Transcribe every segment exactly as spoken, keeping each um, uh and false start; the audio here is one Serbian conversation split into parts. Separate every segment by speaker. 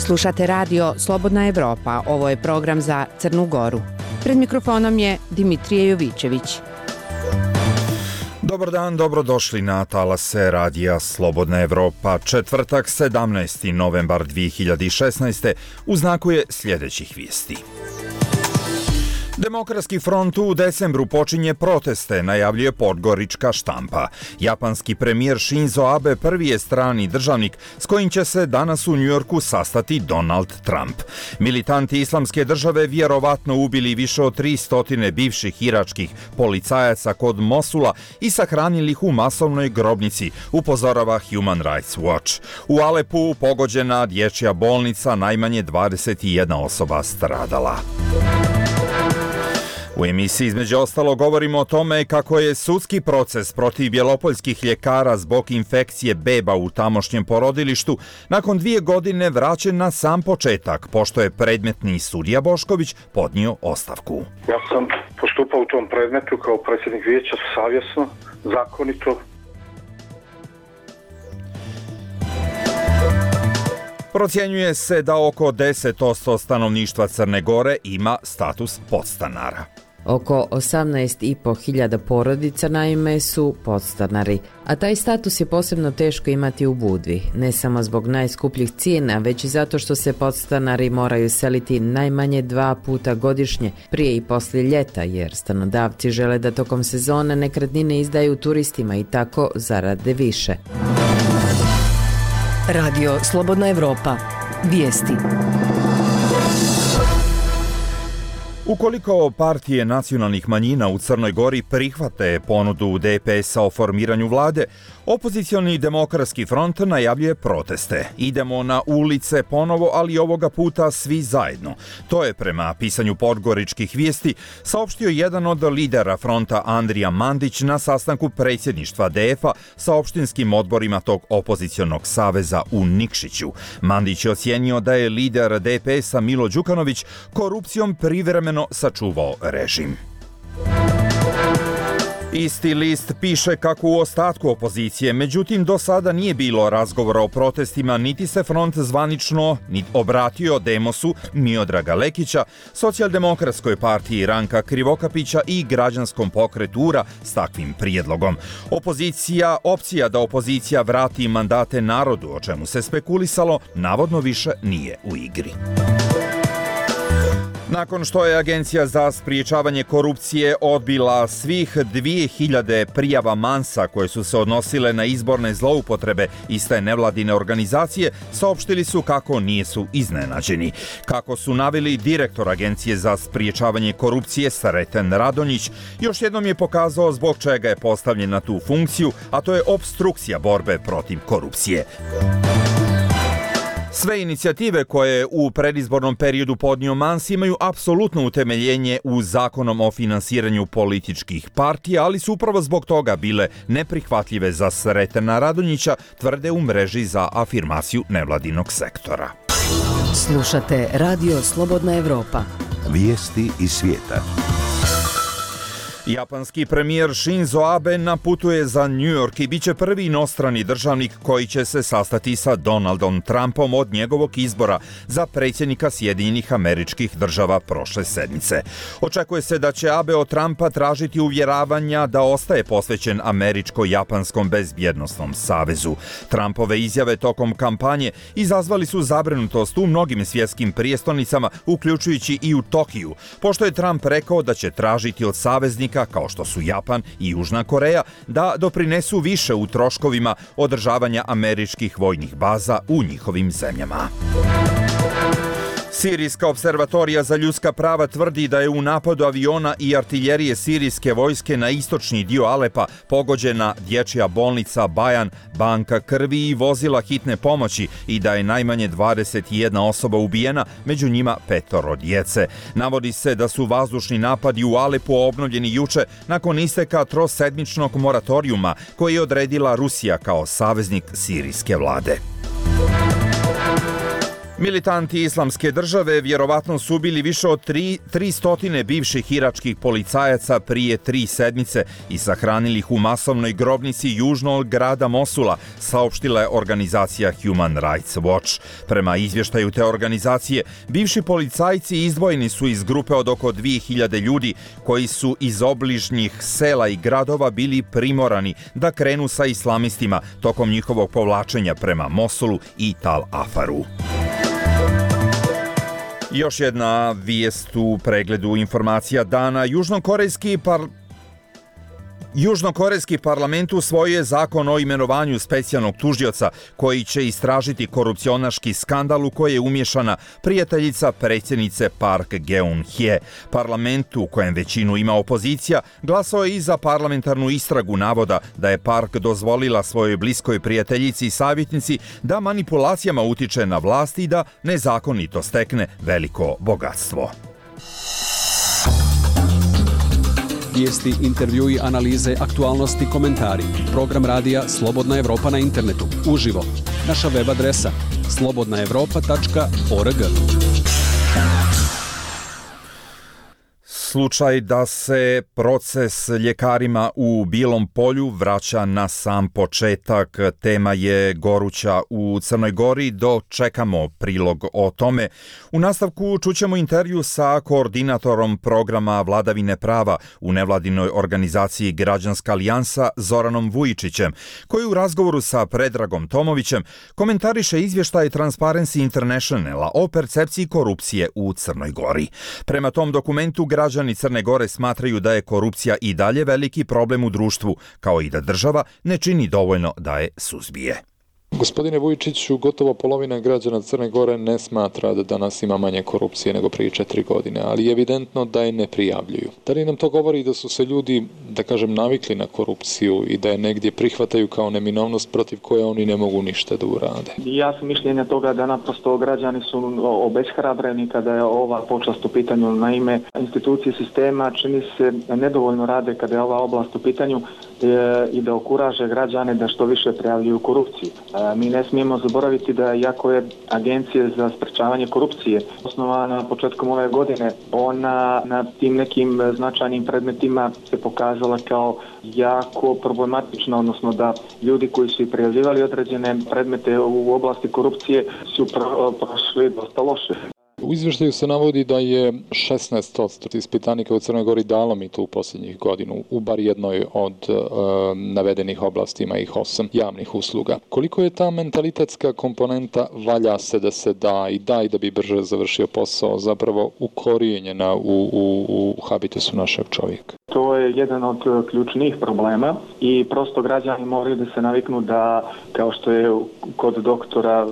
Speaker 1: Slušate radio Slobodna Evropa, ovo je program za Crnu Goru. Pred mikrofonom je Dimitrije Jovićević.
Speaker 2: Dobar dan, dobrodošli na talase radija Slobodna Evropa. Četvrtak, sedamnaesti novembar dvije hiljade šesnaeste. U znaku je sljedećih vijesti. Demokratski front u decembru počinje proteste, najavljuje podgorička štampa. Japanski premijer Shinzo Abe prvi je strani državnik s kojim će se danas u Njujorku sastati Donald Trump. Militanti islamske države vjerovatno ubili više od tristo bivših iračkih policajaca kod Mosula i sahranili ih u masovnoj grobnici, upozorava Human Rights Watch. U Alepu pogođena dječja bolnica, najmanje dvadeset jedna osoba stradala. U emisiji između ostalo govorimo o tome kako je sudski proces protiv bjelopoljskih ljekara zbog infekcije beba u tamošnjem porodilištu nakon dvije godine vraćen na sam početak, pošto je predmetni sudija Bošković podnio ostavku.
Speaker 3: Ja sam postupao u tom predmetu kao predsjednik vijeća savjesno, zakonito.
Speaker 2: Procjenjuje se da oko deset posto stanovništva Crne Gore ima status podstanara.
Speaker 4: Oko osamnaest i po hiljada porodica naime su podstanari, a taj status je posebno teško imati u Budvi, ne samo zbog najskupljih cijena, već i zato što se podstanari moraju seliti najmanje dva puta godišnje, prije i poslije ljeta, jer stanodavci žele da tokom sezone nekretnine izdaju turistima i tako zarade više.
Speaker 5: Radio Slobodna Evropa. Vijesti.
Speaker 2: Ukoliko partije nacionalnih manjina u Crnoj Gori prihvate ponudu D P S-a o formiranju vlade, opozicioni demokratski front najavljuje proteste. Idemo na ulice ponovo, ali ovoga puta svi zajedno. To je prema pisanju podgoričkih vijesti saopštio jedan od lidera fronta Andrija Mandić na sastanku predsjedništva D F-a sa opštinskim odborima tog opozicionog saveza u Nikšiću. Mandić je ocijenio da je lider D P S-a Milo Đukanović korupcijom privremeno sačuvao režim. Isti list piše kako u ostatku opozicije, međutim do sada nije bilo razgovora o protestima, niti se front zvanično niti obratio Demosu Miodraga Lekića, Socijaldemokratskoj partiji Ranka Krivokapića i građanskom pokretu U R A s takvim prijedlogom. Opozicija, opcija da opozicija vrati mandate narodu, o čemu se spekulisalo, navodno više nije u igri. Nakon što je Agencija za spriječavanje korupcije odbila svih dvije hiljade prijava Mansa koje su se odnosile na izborne zloupotrebe iste nevladine organizacije, saopštili su kako nisu iznenađeni. Kako su naveli direktor Agencije za spriječavanje korupcije Sreten Radonjić, još jednom je pokazao zbog čega je postavljen na tu funkciju, a to je opstrukcija borbe protiv korupcije. Sve inicijative koje u predizbornom periodu podnio Mans imaju apsolutno utemeljenje u Zakonom o finansiranju političkih partija, ali su upravo zbog toga bile neprihvatljive za Sretena Radonjića, tvrde u mreži za afirmaciju nevladinog sektora.
Speaker 5: Slušate Radio Slobodna Evropa.
Speaker 6: Vijesti iz svijeta.
Speaker 2: Japanski premijer Shinzo Abe naputuje za New York i bit će prvi inostrani državnik koji će se sastati sa Donaldom Trumpom od njegovog izbora za predsjednika Sjedinjenih Američkih Država prošle sedmice. Očekuje se da će Abe od Trumpa tražiti uvjeravanja da ostaje posvećen Američko-Japanskom bezbjednosnom savezu. Trumpove izjave tokom kampanje izazvali su zabrinutost u mnogim svjetskim prijestolnicama, uključujući i u Tokiju, pošto je Trump rekao da će tražiti od saveznika kao što su Japan i Južna Koreja da doprinesu više u troškovima održavanja američkih vojnih baza u njihovim zemljama. Sirijska observatorija za ljudska prava tvrdi da je u napadu aviona i artiljerije sirijske vojske na istočni dio Alepa pogođena dječja bolnica Bajan, banka krvi i vozila hitne pomoći i da je najmanje dvadeset jedna osoba ubijena, među njima petoro djece. Navodi se da su vazdušni napadi u Alepu obnovljeni juče nakon isteka trosedmičnog moratorijuma koji je odredila Rusija kao saveznik sirijske vlade. Militanti islamske države vjerovatno su ubili više od tri stotine bivših iračkih policajaca prije tri sedmice i sahranili ih u masovnoj grobnici južno od grada Mosula, saopštila je organizacija Human Rights Watch. Prema izvještaju te organizacije, bivši policajci izdvojeni su iz grupe od oko dvije hiljade ljudi koji su iz obližnjih sela i gradova bili primorani da krenu sa islamistima tokom njihovog povlačenja prema Mosulu i Tal Afaru. Još jedna vijest u pregledu informacija dana. Južnokorejski par... Južnokorejski parlament usvojio je zakon o imenovanju specijalnog tužioca koji će istražiti korupcionaški skandal u koji je umješana prijateljica predsjednice Park Geun-hye. Parlament, u kojem većinu ima opozicija, glasao je i za parlamentarnu istragu navoda da je Park dozvolila svojoj bliskoj prijateljici i savjetnici da manipulacijama utiče na vlast i da nezakonito stekne veliko bogatstvo.
Speaker 7: Vijesti, intervjui, analize, aktualnosti, komentari. Program radija Slobodna Evropa na internetu. Uživo. Naša web adresa slobodna evropa tačka org.
Speaker 2: Slučaj da se proces ljekarima u Bilom Polju vraća na sam početak. Tema je goruća u Crnoj Gori. Dočekamo prilog o tome. U nastavku čućemo intervju sa koordinatorom programa Vladavine prava u nevladinoj organizaciji Građanska alijansa Zoranom Vujičićem, koji u razgovoru sa Predragom Tomovićem komentariše izvještaj Transparency Internationala o percepciji korupcije u Crnoj Gori. Prema tom dokumentu građani Crne Gore smatraju da je korupcija i dalje veliki problem u društvu, kao i da država ne čini dovoljno da je suzbije.
Speaker 8: Gospodine Vujičiću, gotovo polovina građana Crne Gore ne smatra da danas ima manje korupcije nego prije četiri godine, ali je evidentno da je ne prijavljuju. Da li nam to govori da su se ljudi, da kažem, navikli na korupciju i da je negdje prihvataju kao neminovnost protiv koje oni ne mogu ništa da urade?
Speaker 9: Ja sam mišljenja toga da naprosto građani su obeshrabreni kada je ova počast u pitanju. Naime, institucije sistema čini se nedovoljno rade kada je ova oblast u pitanju i da okuraže građane da što više prijavljuju korupciju. Mi ne smijemo zaboraviti da iako je Agencija za sprečavanje korupcije osnovana početkom ove godine, ona na tim nekim značajnim predmetima se pokazala kao jako problematična, odnosno da ljudi koji su i prijavljivali određene predmete u oblasti korupcije su prošli dosta loše.
Speaker 8: U izvještaju se navodi da je šesnaest posto ispitanika u Crnoj Gori dalo mito u posljednjih godinu u bar jednoj od e, navedenih oblasti, ima ih osam javnih usluga. Koliko je ta mentalitetska komponenta valja se da se da i da i da bi brže završio posao zapravo ukorijenjena u, u, u habitusu našeg čovjeka?
Speaker 9: To je jedan od ključnih problema i prosto građani moraju da se naviknu da, kao što je kod doktora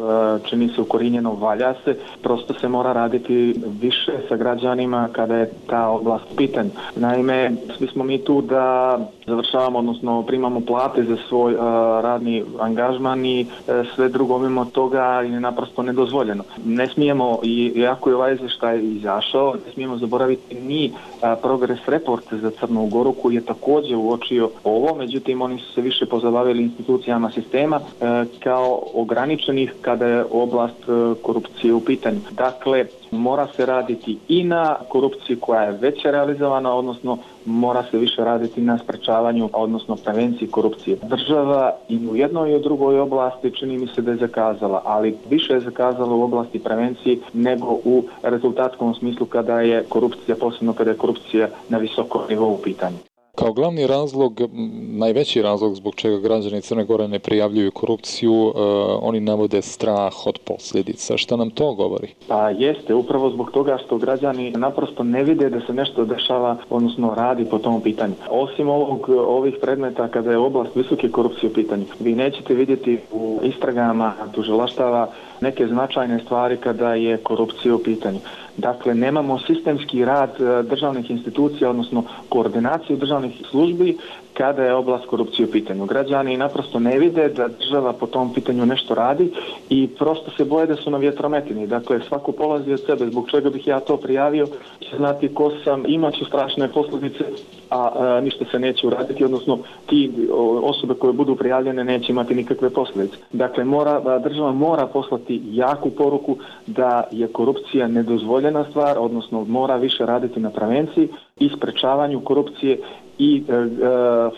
Speaker 9: čini se ukorijenjeno, valja se, prosto se mora raditi više sa građanima kada je ta oblast pitanja. Naime, svi smo mi tu da završavamo, odnosno primamo plate za svoj uh, radni angažman i uh, sve drugo mimo toga je naprosto nedozvoljeno. Ne smijemo, i iako je ovaj izvještaj izašao, ne smijemo zaboraviti ni uh, progress report za Crnu Goru koji je također uočio ovo, međutim oni su se više pozabavili institucijama sistema uh, kao ograničenih kada je oblast uh, korupcije u pitanju. Dakle, mora se raditi i na korupciji koja je već realizovana, odnosno mora se više raditi na sprečavanju, odnosno prevenciji korupcije. Država i u jednoj i u drugoj oblasti čini mi se da je zakazala, ali više je zakazala u oblasti prevencije nego u rezultatskom smislu kada je korupcija, posebno kada je korupcija na visokom nivou u pitanju.
Speaker 8: Kao glavni razlog, najveći razlog zbog čega građani Crne Gore ne prijavljuju korupciju, uh, oni navode strah od posljedica. Šta nam to govori?
Speaker 9: Pa jeste, upravo zbog toga što građani naprosto ne vide da se nešto dešava, odnosno radi po tom pitanju. Osim ovog, ovih predmeta kada je oblast visoke korupcije u pitanju, vi nećete vidjeti u istragama tužilaštava neke značajne stvari kada je korupcija u pitanju. Dakle, nemamo sistemski rad državnih institucija, odnosno koordinaciju državnih službi kada je oblast korupcije u pitanju. Građani naprosto ne vide da država po tom pitanju nešto radi i prosto se boje da su na vjetrometini. Dakle, svako polazi od sebe. Zbog čega bih ja to prijavio, će znati ko sam, imaću strašne posljedice, a, a ništa se neće uraditi, odnosno ti osobe koje budu prijavljene neće imati nikakve posljedice. Dakle, mora, država mora poslati jaku poruku da je korupcija nedozvoljena stvar, odnosno mora više raditi na prevenciji i sprečavanju korupcije i e, e,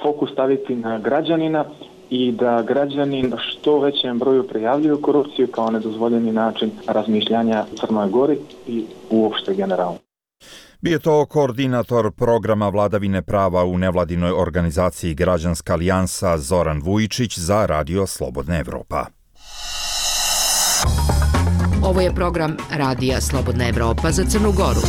Speaker 9: fokus staviti na građanina i da građanin što većem broju prijavljuju korupciju kao nedozvoljeni način razmišljanja u Crnoj Gori i uopšte generalno.
Speaker 2: Bio to koordinator programa vladavine prava u nevladinoj organizaciji Građanska alijansa Zoran Vujičić za Radio Slobodna Evropa.
Speaker 5: Ovo je program Radija Slobodna Evropa za Crnu Goru.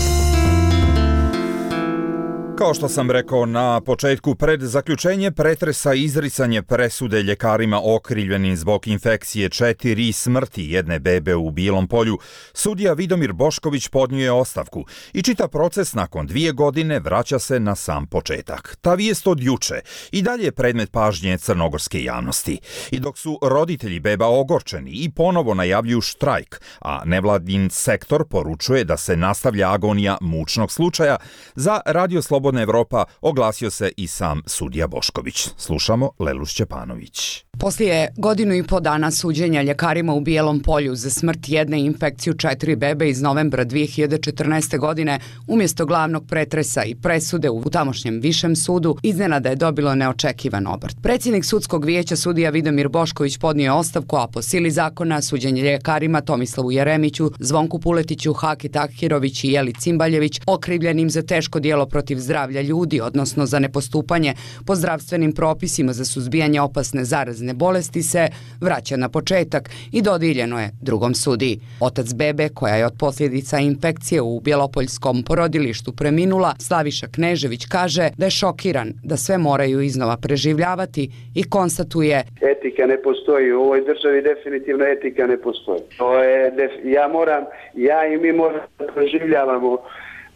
Speaker 2: Kao što sam rekao na početku, pred zaključenje pretresa i izricanje presude ljekarima okrivljenim zbog infekcije četiri i smrti jedne bebe u Bijelom Polju, sudija Vidomir Bošković podnio je ostavku i čita proces nakon dvije godine vraća se na sam početak. Ta vijest od juče i dalje je predmet pažnje crnogorske javnosti. I dok su roditelji beba ogorčeni i ponovo najavljuju štrajk, a nevladin sektor poručuje da se nastavlja agonija mučnog slučaja, za Radio Slobodna Evropa oglasio se i sam sudija Bošković. Slušamo Lelu Šćepanović.
Speaker 10: Poslije godinu i po dana suđenja ljekarima u Bijelom Polju za smrt jedne i infekciju četiri bebe iz novembra dvije hiljade četrnaeste. godine, umjesto glavnog pretresa i presude u tamošnjem višem sudu, iznenada je dobilo neočekivan obrt. Predsjednik sudskog vijeća sudija Vidomir Bošković podnio je ostavku, a po sili zakona suđenje ljekarima Tomislavu Jeremiću, Zvonku Puletiću, Haki Takhirović i Jeli Cimbaljević, okrivljenim za teško djelo protiv zdravlja ljudi, odnosno za nepostupanje po zdravstvenim propisima za suzbijanje opasne zarazne bolesti, se vraća na početak i dodijeljeno je drugom sudiji. Otac bebe, koja je od posljedica infekcije u bjelopoljskom porodilištu preminula, Slaviša Knežević, kaže da je šokiran da sve moraju iznova preživljavati i konstatuje:
Speaker 11: etika ne postoji u ovoj državi, definitivno etika ne postoji. To je, ja moram, ja i mi moramo preživljavamo,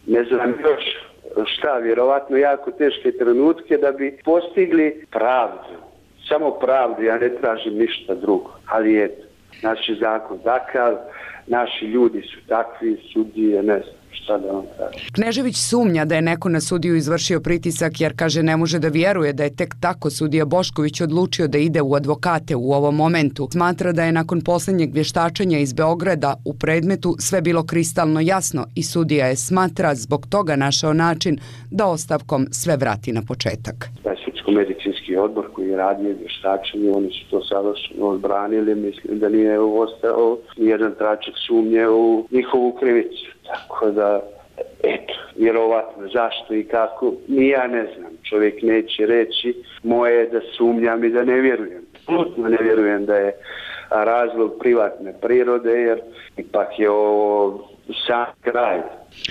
Speaker 11: ne znam još šta, vjerovatno jako teške trenutke da bi postigli pravdu. Samo pravdu, ja ne tražim ništa drugo, ali eto, naš je zakon takav, naši ljudi su takvi, sudije, ne znam šta da vam kažem.
Speaker 10: Knežević sumnja da je neko na sudiju izvršio pritisak jer, kaže, ne može da vjeruje da je tek tako sudija Bošković odlučio da ide u advokate u ovom momentu. Smatra da je nakon posljednjeg vještačenja iz Beograda u predmetu sve bilo kristalno jasno i sudija je, smatra, zbog toga našao način da ostavkom sve vrati na početak.
Speaker 11: Medicinski odbor koji je radio vještačenje, oni su to savršeno odbranili, mislim da nije ostao nijedan tračak sumnje u njihovu krivicu. Tako da, eto, vjerovatno zašto i kako, ni ja ne znam. Čovjek neće reći, moje je da sumnjam i da ne vjerujem. Plutno ne vjerujem da je razlog privatne prirode, jer ipak je ovo sam kraj.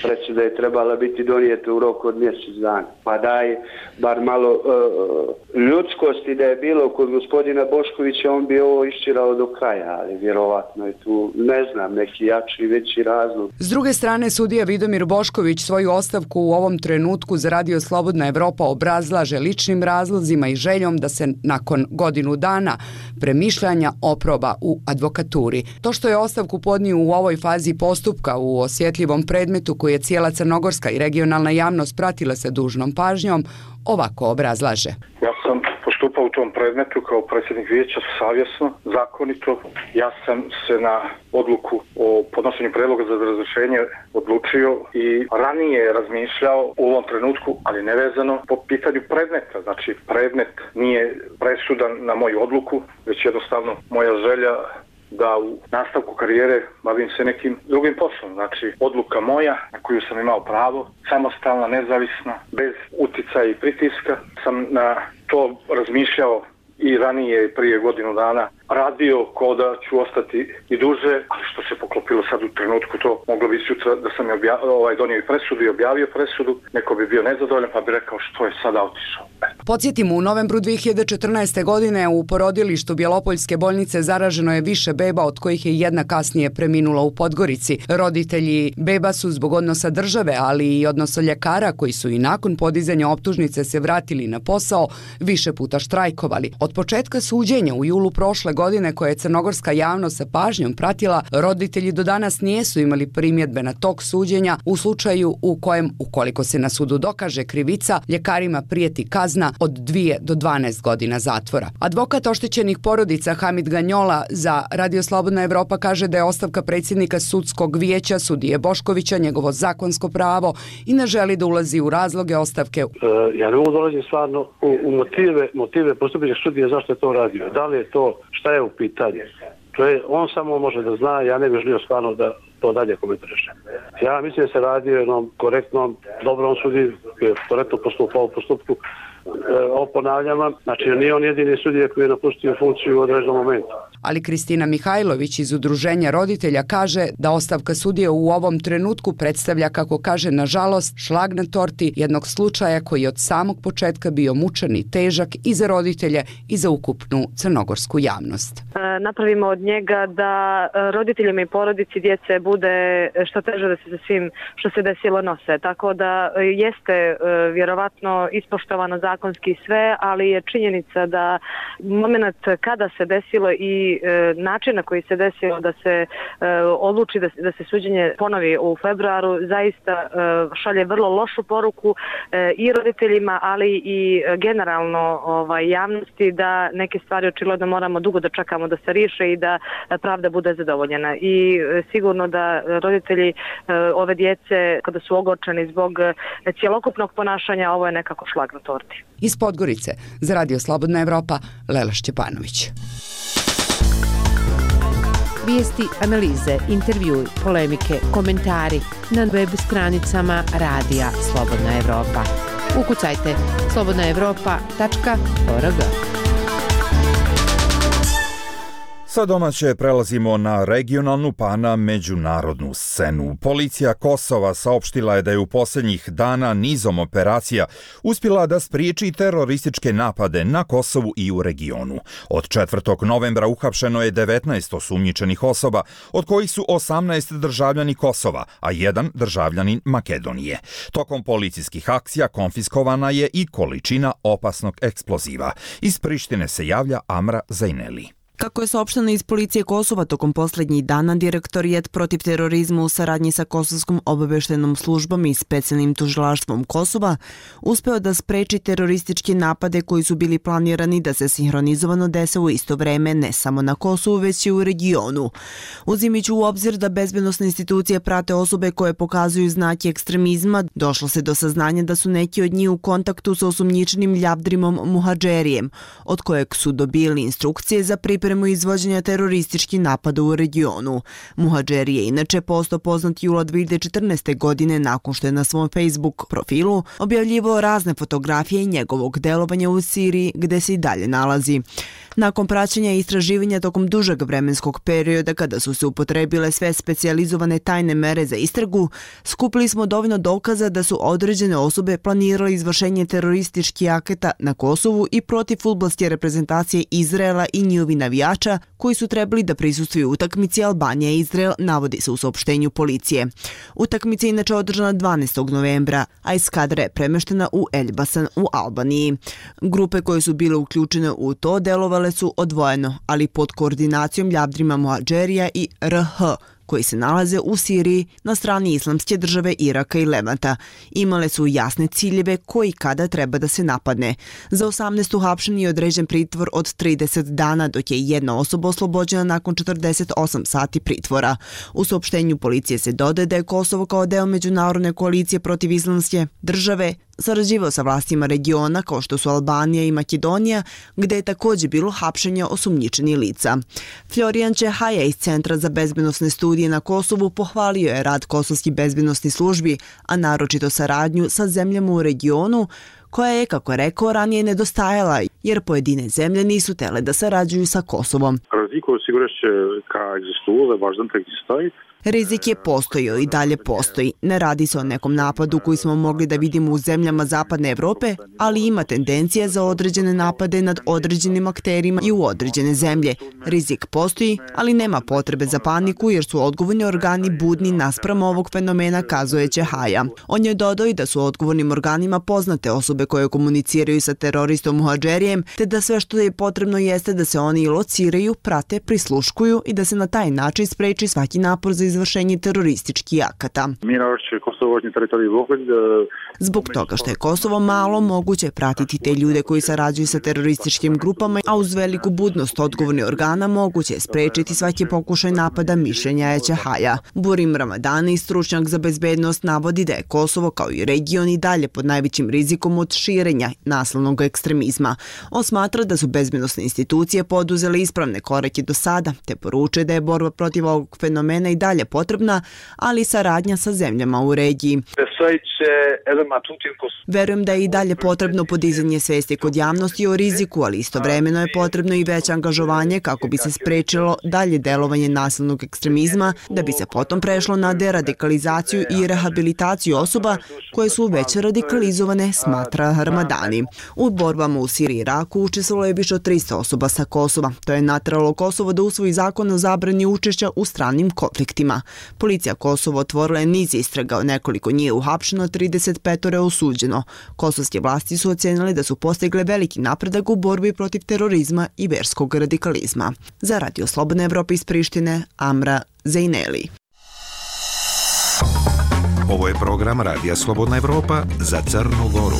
Speaker 11: Presuda je trebala biti donijeta u roku od mjesec dana. Pa daj bar malo uh, ljudskosti da je bilo kod gospodina Boškovića, on bi ovo iščirao do kraja, ali vjerovatno je tu, ne znam, neki jači i veći razlog.
Speaker 10: S druge strane, sudija Vidomir Bošković svoju ostavku u ovom trenutku za Radio Slobodna Evropa obrazlaže ličnim razlozima i željom da se nakon godinu dana premišljanja oproba u advokaturi. To što je ostavku podnio u ovoj fazi postupka u osjetljivom predmetu koji je cijela crnogorska i regionalna javnost pratila sa dužnom pažnjom, ovako obrazlaže.
Speaker 3: Ja sam postupao u tom predmetu kao predsjednik vijeća savjesno, zakonito. Ja sam se na odluku o podnošenju predloga za razrješenje odlučio i ranije razmišljao u ovom trenutku, ali nevezano po pitanju predmeta. Znači, predmet nije presudan na moju odluku, već jednostavno moja želja da u nastavku karijere bavim se nekim drugim poslom. Znači, odluka moja na koju sam imao pravo, samostalna, nezavisna, bez uticaja i pritiska, sam na to razmišljao i ranije, prije godinu dana, radio ko da ću ostati i duže, ali što se poklopilo sad u trenutku, to moglo bi sutra da sam je obja- ovaj, donio i presudu i objavio presudu, neko bi bio nezadovoljan pa bi rekao što je sada otišao. Eto.
Speaker 10: Podsjetimo, u novembru dve hiljade četrnaeste. godine u porodilištu Bjelopoljske bolnice zaraženo je više beba, od kojih je jedna kasnije preminula u Podgorici. Roditelji beba su zbog odnosa države, ali i odnosa ljekara koji su i nakon podizanja optužnice se vratili na posao, više puta štrajkovali. Od početka suđenja u julu prošle godine, koje je crnogorska javnost sa pažnjom pratila, roditelji do danas nijesu imali primjedbe na tok suđenja u slučaju u kojem, ukoliko se na sudu dokaže krivica, ljekarima prijeti kazna od dvije do dvanaest godina zatvora. Advokat oštećenih porodica Hamid Ganjola za Radio Slobodna Evropa kaže da je ostavka predsjednika sudskog vijeća sudije Boškovića njegovo zakonsko pravo i ne želi da ulazi u razloge ostavke.
Speaker 12: E, ja ne mogu dolaziti stvarno u, u motive, motive postupića sudije zašto je to radio. Da li je to, šta je u pitanju? To je, on samo može da zna, ja ne bih želio stvarno da to dalje komentarišem. Ja mislim da se radi o jednom korektnom, dobrom sudiji, koji je korektno postupao u postupku. E, ponavljam vam, znači nije on jedini sudija koji je napustio funkciju u određenom momentu.
Speaker 10: Ali Kristina Mihajlović iz Udruženja roditelja kaže da ostavka sudije u ovom trenutku predstavlja, kako kaže, nažalost, šlag na torti jednog slučaja koji je od samog početka bio mučan i težak i za roditelje i za ukupnu crnogorsku javnost.
Speaker 13: E, napravimo od njega da roditeljima i porodici djece bude što teže da se sa svim što se desilo nose. Tako da jeste e, vjerovatno ispoštovano zakonski sve, ali je činjenica da moment kada se desilo i način na koji se desilo da se e, odluči da, da se suđenje ponovi u februaru zaista e, šalje vrlo lošu poruku e, i roditeljima, ali i generalno ovaj, javnosti da neke stvari očigledno moramo dugo da čekamo da se riješe i da pravda bude zadovoljena. I e, sigurno da roditelji e, ove djece, kada su ogorčeni zbog cjelokupnog ponašanja, ovo je nekako šlag na torti.
Speaker 10: Iz Podgorice za Radio Slobodna Evropa, Lela Šćepanović.
Speaker 1: Vijesti, analize, intervjui, polemike, komentari na web stranicama Radija Slobodna Evropa. Ukucajte slobodna evropa tačka org.
Speaker 2: Sa domaće prelazimo na regionalnu pa na međunarodnu scenu. Policija Kosova saopštila je da je u posljednjih dana nizom operacija uspjela da spriječi terorističke napade na Kosovu i u regionu. Od četvrtog novembra uhapšeno je devetnaest osumnjičenih osoba, od kojih su osamnaest državljani Kosova, a jedan državljanin Makedonije. Tokom policijskih akcija konfiskovana je i količina opasnog eksploziva. Iz Prištine se javlja Amra Zajneli.
Speaker 14: Kako je saopšteno iz policije Kosova, tokom posljednjih dana direktorijat protiv terorizma u saradnji sa Kosovskom obavještajnom službom i specijalnim tužilaštvom Kosova uspeo da spreči terorističke napade koji su bili planirani da se sinhronizovano dese u isto vreme ne samo na Kosovu, već i u regionu. Uzimajući u obzir da bezbednosne institucije prate osobe koje pokazuju znake ekstremizma, došlo se do saznanja da su neki od njih u kontaktu sa osumnjičenim Ljavdrimom Muhadžerijem, od kojeg su dobili instrukcije za pripremu izvođenja terorističkih napada u regionu. Muhadžeri je inače postao poznat jula dve hiljade četrnaeste. godine nakon što je na svom Facebook profilu objavljivao razne fotografije njegovog delovanja u Siriji, gde se i dalje nalazi. Nakon praćenja i istraživanja tokom dužeg vremenskog perioda kada su se upotrebile sve specijalizovane tajne mere za istragu, skupili smo dovoljno dokaza da su određene osobe planirale izvršenje terorističkih akata na Kosovu i protiv fudbalske reprezentacije Izraela i njihovi navijača koji su trebali da prisustvuju utakmici Albanija i Izrael, navodi se u saopštenju policije. Utakmica je inače održana dvanaestog novembra, a eskadra je premeštena u Elbasan u Albaniji. Grupe koje su bile uključene u to delovale su odvojeno, ali pod koordinacijom Ljavdrima Muhadžerija i R H, koji se nalaze u Siriji na strani Islamske države Iraka i Levanta. Imale su jasne ciljeve koji kada treba da se napadne. Za osamnaest uhapšen je određen pritvor od trideset dana, dok je jedna osoba oslobođena nakon četrdeset osam sati pritvora. U saopštenju policije se dodaje da je Kosovo kao deo međunarodne koalicije protiv Islamske države sarađivao sa vlastima regiona kao što su Albanija i Makedonija, gde je također bilo hapšenja osumnjičenih lica. Florijan Čehaja iz Centra za bezbednosne studije na Kosovu pohvalio je rad kosovskih bezbednosnih službi, a naročito saradnju sa zemljama u regionu, koja je, kako rekao, ranije nedostajala, jer pojedine zemlje nisu tele da sarađuju sa Kosovom.
Speaker 15: Разлика сигурно ќе ка екзистува, важно да екзистoi.
Speaker 14: Rizik je postojao i dalje postoji. Ne radi se o nekom napadu koji smo mogli da vidimo u zemljama Zapadne Evrope, ali ima tendencija za određene napade nad određenim akterima i u određene zemlje. Rizik postoji, ali nema potrebe za paniku jer su odgovorni organi budni naspram ovog fenomena, kazuje Ćehaja. On je dodao i da su odgovornim organima poznate osobe koje komuniciraju sa teroristom Muhadžerijem, te da sve što je potrebno jeste da se oni lociraju, prate, prisluškuju i da se na taj način spreči svaki napor za izvršenje terorističkih akata. Zbog toga što je Kosovo malo, moguće pratiti te ljude koji sarađuju sa terorističkim grupama, a uz veliku budnost odgovornih organa moguće je sprečiti svaki pokušaj napada, mišljenja je Ćehaja. Burim Ramadani, stručnjak za bezbednost, navodi da je Kosovo kao i region i dalje pod najvećim rizikom od širenja naslovnog ekstremizma. On smatra da su bezbednosne institucije poduzele ispravne korake do sada, te poručuje da je borba protiv ovog fenomena i dalje potrebna, ali i saradnja sa zemljama u regiji. Verujem da je i dalje potrebno podizanje svesti kod javnosti o riziku, ali istovremeno je potrebno i veće angažovanje kako bi se sprečilo dalje delovanje nasilnog ekstremizma, da bi se potom prešlo na deradikalizaciju i rehabilitaciju osoba koje su već radikalizovane, smatra Ramadani. U borbama u Siriji i Iraku učestvovalo je više od tristo osoba sa Kosova. To je nateralo Kosovo da usvoji zakon o zabrani učešća u stranim konfliktima. Policija Kosova otvorila je niz istraga, nekoliko njih je uhapšeno, trideset pet je osuđeno. Kosovske vlasti su ocenili da su postigle veliki napredak u borbi protiv terorizma i verskog radikalizma. Za Radio Slobodna Evropa iz Prištine, Amra Zejneli.
Speaker 6: Ovo je program Radija Slobodna Evropa za Crnu Goru.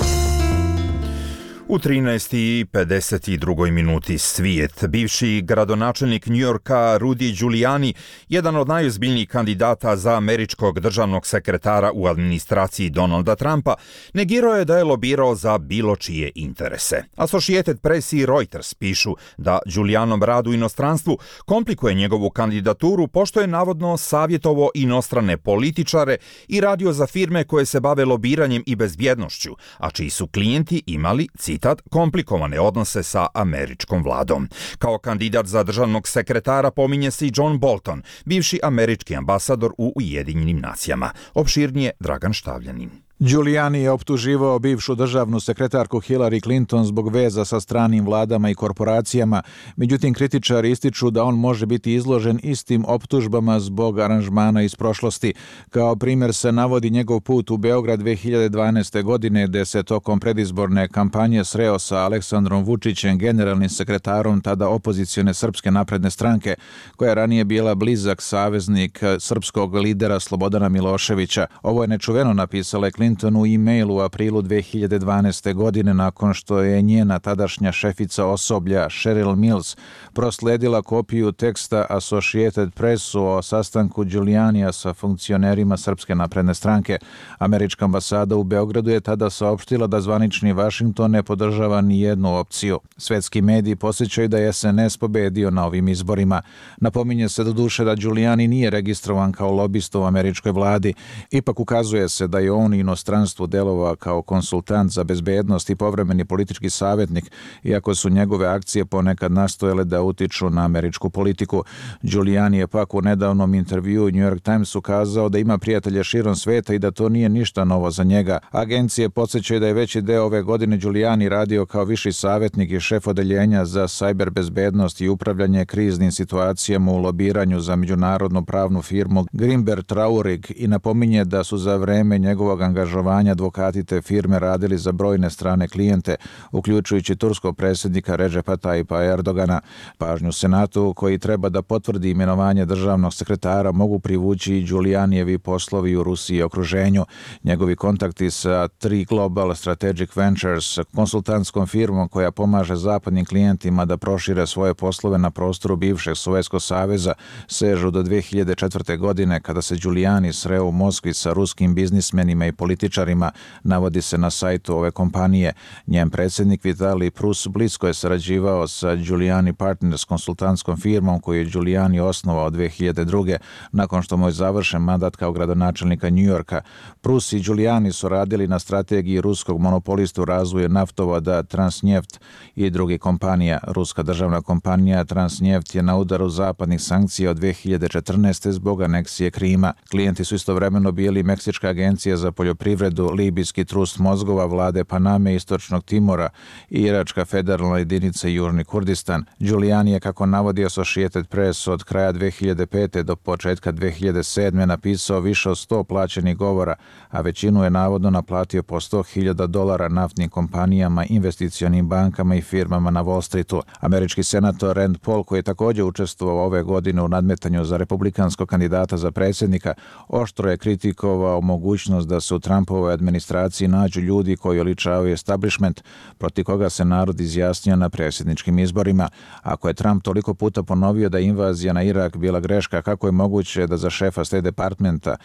Speaker 2: U trinaest i pedeset dva minuti svijet. Bivši gradonačelnik Njujorka Rudy Giuliani, jedan od najozbiljnijih kandidata za američkog državnog sekretara u administraciji Donalda Trumpa, negirao je da je lobirao za bilo čije interese. Associated Press i Reuters pišu da Giulianom rad u inostranstvu komplikuje njegovu kandidaturu pošto je navodno savjetovo inostrane političare i radio za firme koje se bave lobiranjem i bezbjednošću, a čiji su klijenti imali citat komplikovane odnose sa američkom vladom. Kao kandidat za državnog sekretara pominje se i John Bolton, bivši američki ambasador u Ujedinjenim nacijama. Opširnije Dragan Štavljanin.
Speaker 15: Giuliani je optuživao bivšu državnu sekretarku Hillary Clinton zbog veza sa stranim vladama i korporacijama, međutim kritičari ističu da on može biti izložen istim optužbama zbog aranžmana iz prošlosti. Kao primjer se navodi njegov put u Beograd dve hiljade dvanaeste. godine, gde se tokom predizborne kampanje sreo sa Aleksandrom Vučićem, generalnim sekretarom tada opozicione Srpske napredne stranke, koja je ranije bila blizak saveznik srpskog lidera Slobodana Miloševića. Ovo je nečuveno, napisala je Clinton u e-mailu u aprilu dve hiljade dvanaeste. godine nakon što je njena tadašnja šefica osoblja Cheryl Mills prosledila kopiju teksta Associated Pressu o sastanku Giulianija sa funkcionerima Srpske napredne stranke. Američka ambasada u Beogradu je tada saopštila da zvanični Vašington ne podržava ni jednu opciju. Svetski mediji podsjećaju da je S N S pobedio na ovim izborima. Napominje se doduše da Giuliani nije registrovan kao lobista u američkoj vladi. Ipak ukazuje se da je on i inostranstvu delovao kao konsultant za bezbednost i povremeni politički savjetnik, iako su njegove akcije ponekad nastojale da utiču na američku politiku. Giuliani je pak u nedavnom intervjuu New York Timesu kazao da ima prijatelje širom sveta i da to nije ništa novo za njega. Agencije podsjećaju da je veći deo ove godine Giuliani radio kao viši savjetnik i šef odeljenja za sajber bezbednost i upravljanje kriznim situacijama u lobiranju za međunarodnu pravnu firmu Grimber Traurig i napominje da su za vreme njegovog angažovanja advokati te firme radili za brojne strane klijente, uključujući turskog predsjednika Redžepa Tayyipa Erdogana. Pažnju Senatu, koji treba da potvrdi imenovanje državnog sekretara, mogu privući i Giulianijevi poslovi u Rusiji i okruženju. Njegovi kontakti sa Tri Global Strategic Ventures, konsultantskom firmom koja pomaže zapadnim klijentima da prošire svoje poslove na prostoru bivšeg Sovjetskog saveza, sežu do dve hiljade četvrte. godine kada se Giuliani sreo u Moskvi sa ruskim biznismenima i političarima političarima, navodi se na sajtu ove kompanije. Njen predsjednik Vitali Prus blisko je sarađivao sa Giuliani Partners, konsultantskom firmom koju je Giuliani osnovao dve hiljade druge. nakon što mu je završen mandat kao gradonačelnika New Yorka. Prus i Giuliani su radili na strategiji ruskog monopolista u razvoju naftovoda Transneft i drugih kompanija. Ruska državna kompanija Transneft je na udaru zapadnih sankcija od dve hiljade četrnaeste. zbog aneksije Krima. Klijenti su istovremeno bili Meksička agencija za poljoprivredu, libijski trust mozgova vlade Paname, Istočnog Timora i Iračka federalna jedinica Južni Kurdistan. Giuliani je, kako navodi Associated Press, od kraja dve hiljade pete. do početka dve hiljade sedme. napisao više od sto plaćenih govora, a većinu je navodno naplatio po sto hiljada dolara naftnim kompanijama, investicionim bankama i firmama na Wall Streetu. Američki senator Rand Paul, koji je također učestvovao ove godine u nadmetanju za republikanskog kandidata za predsjednika, oštro je kritikovao mogućnost da se u Trumpovoj administraciji nađu ljudi koji oličavaju establishment, protiv koga se narod izjasnio na predsjedničkim izborima. Ako je Trump toliko puta ponovio da je invazija na Irak bila greška, kako je moguće da za šefa State Departmenta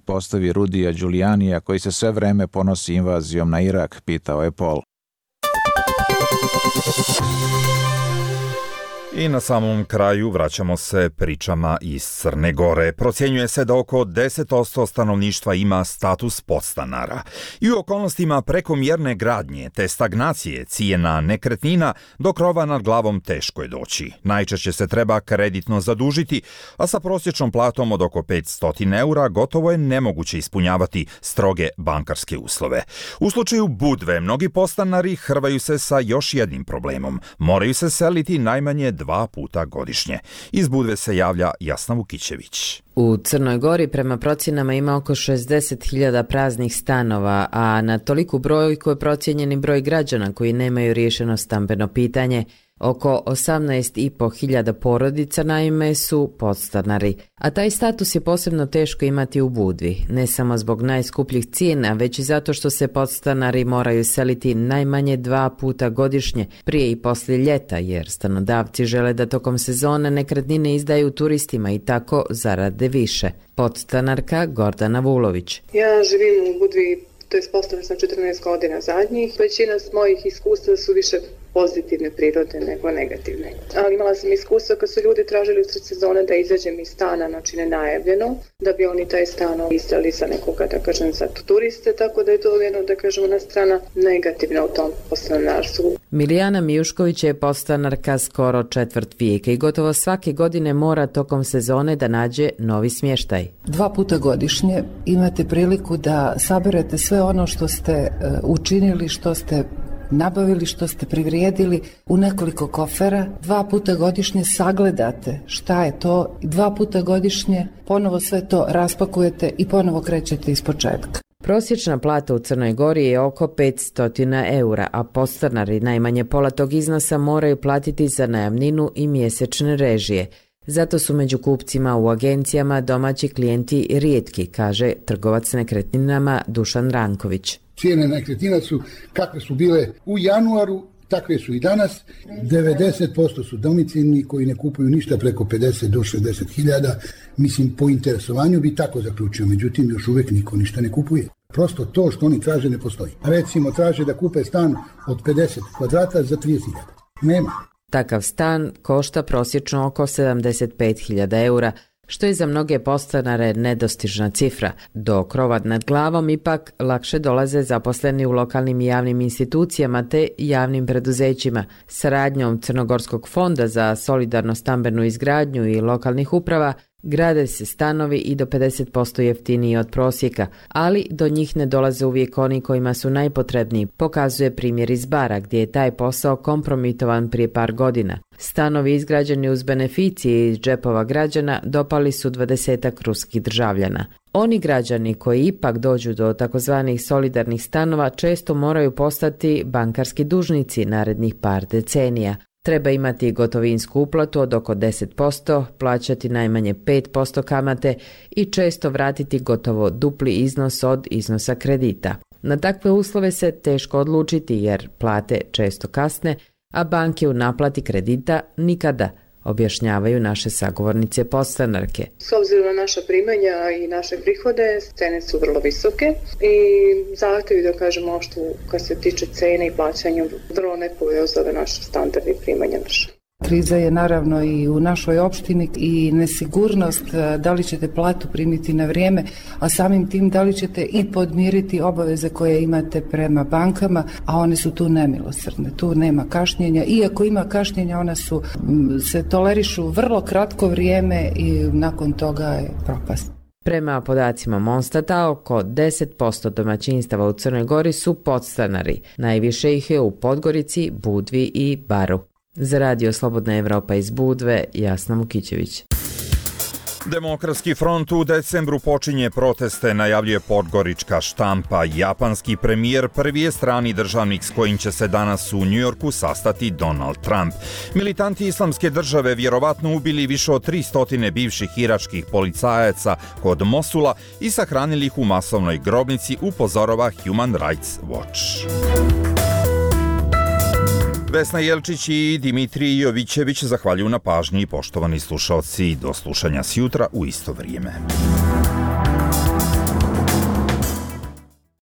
Speaker 15: postavi Rudija Giulianija, koji se sve vreme ponosi invazijom na Irak, pitao je Paul.
Speaker 2: I na samom kraju vraćamo se pričama iz Crne Gore. Procjenjuje se da oko deset posto stanovništva ima status podstanara. I u okolnostima prekomjerne gradnje te stagnacije cijena nekretnina do krova nad glavom teško je doći. Najčešće se treba kreditno zadužiti, a sa prosječnom platom od oko petsto eura gotovo je nemoguće ispunjavati stroge bankarske uslove. U slučaju Budve mnogi podstanari hrvaju se sa još jednim problemom. Moraju se seliti najmanje dva puta godišnje. Iz Budve se javlja Jasna Vukićević.
Speaker 4: U Crnoj Gori prema procjenama ima oko šezdeset hiljada praznih stanova, a na toliku brojku je procijenjeni broj građana koji nemaju riješeno stambeno pitanje. Oko osamnaest i po hiljada porodica naime su podstanari, a taj status je posebno teško imati u Budvi, ne samo zbog najskupljih cijena, već i zato što se podstanari moraju seliti najmanje dva puta godišnje, prije i poslije ljeta, jer stanodavci žele da tokom sezone nekretnine izdaju turistima i tako zarade više. Podstanarka Gordana Vulović.
Speaker 16: Ja živim u Budvi, to je postavljeno sam četrnaest godina zadnjih. Većina mojih iskustva su više pozitivne prirode nego negativne. Ali imala sam iskustva kad su ljudi tražili usred sezone da izađem iz stana, znači nenajavljeno, da bi oni taj stan izdali za nekoga, da kažem, za turiste, tako da je to jedno, da kažem, ona strana negativna u tom podstanarstvu.
Speaker 4: Milijana Mijušković je podstanarka skoro četvrt vijeka i gotovo svake godine mora tokom sezone da nađe novi smještaj.
Speaker 17: Dva puta godišnje imate priliku da saberete sve ono što ste uh, učinili, što ste nabavili, što ste privrijedili u nekoliko kofera. Dva puta godišnje sagledate šta je to, dva puta godišnje ponovo sve to raspakujete i ponovo krećete iz početka.
Speaker 4: Prosječna plata u Crnoj Gori je oko petsto eura, a podstanari najmanje pola tog iznosa moraju platiti za najamninu i mjesečne režije. Zato su među kupcima u agencijama domaći klijenti rijetki, kaže trgovac nekretninama Dušan Ranković.
Speaker 18: Cijene nekretnina su kakve su bile u januaru, takve su i danas. devedeset posto su domicilni koji ne kupuju ništa preko pedeset do šezdeset hiljada. Mislim, po interesovanju bi tako zaključio, međutim još uvijek niko ništa ne kupuje. Prosto to što oni traže ne postoji. Recimo, traže da kupe stan od pedeset kvadrata za trideset hiljada. Nema.
Speaker 4: Takav stan košta prosječno oko sedamdeset pet hiljada eura, što je za mnoge podstanare nedostižna cifra. Do krova nad glavom ipak lakše dolaze zaposleni u lokalnim i javnim institucijama te javnim preduzećima. Saradnjom Crnogorskog fonda za solidarno stambenu izgradnju i lokalnih uprava grade se stanovi i do pedeset posto jeftiniji od prosjeka, ali do njih ne dolaze uvijek oni kojima su najpotrebniji, pokazuje primjer iz Bara gdje je taj posao kompromitovan prije par godina. Stanovi izgrađeni uz beneficije iz džepova građana dopali su dvadesetak ruskih državljana. Oni građani koji ipak dođu do takozvanih solidarnih stanova često moraju postati bankarski dužnici narednih par decenija. Treba imati gotovinsku uplatu od oko deset posto, plaćati najmanje pet posto kamate i često vratiti gotovo dupli iznos od iznosa kredita. Na takve uslove se teško odlučiti jer plate često kasne, a banke u naplati kredita nikada, objašnjavaju naše sagovornice podstanarke.
Speaker 16: S obzirom na naša primanja i naše prihode, cene su vrlo visoke i zahtevi, da kažemo, što kad se tiče cene i plaćanja, vrlo nepovoljno za ove naše standarde i primanja naše.
Speaker 17: Kriza je naravno i u našoj opštini i nesigurnost da li ćete platu primiti na vrijeme, a samim tim da li ćete i podmiriti obaveze koje imate prema bankama, a one su tu nemilosrdne, tu nema kašnjenja. Iako ima kašnjenja, ona su, se tolerišu vrlo kratko vrijeme i nakon toga je propast.
Speaker 4: Prema podacima Monstata, oko deset posto domaćinstava u Crnoj Gori su podstanari. Najviše ih je u Podgorici, Budvi i Baru. Za radio Slobodna Evropa iz Budve, Jasna Mukićević.
Speaker 2: Demokratski front u decembru počinje proteste, najavljuje podgorička štampa. Japanski premijer prvi je strani državnik s kojim će se danas u Njujorku sastati Donald Trump. Militanti islamske države vjerovatno ubili više od tristo bivših iračkih policajaca kod Mosula i sahranili ih u masovnoj grobnici, upozorava Human Rights Watch. Vesna Jelčić i Dimitrij Jovićević zahvaljuju na pažnji, poštovani slušalci, do slušanja sjutra u isto vrijeme.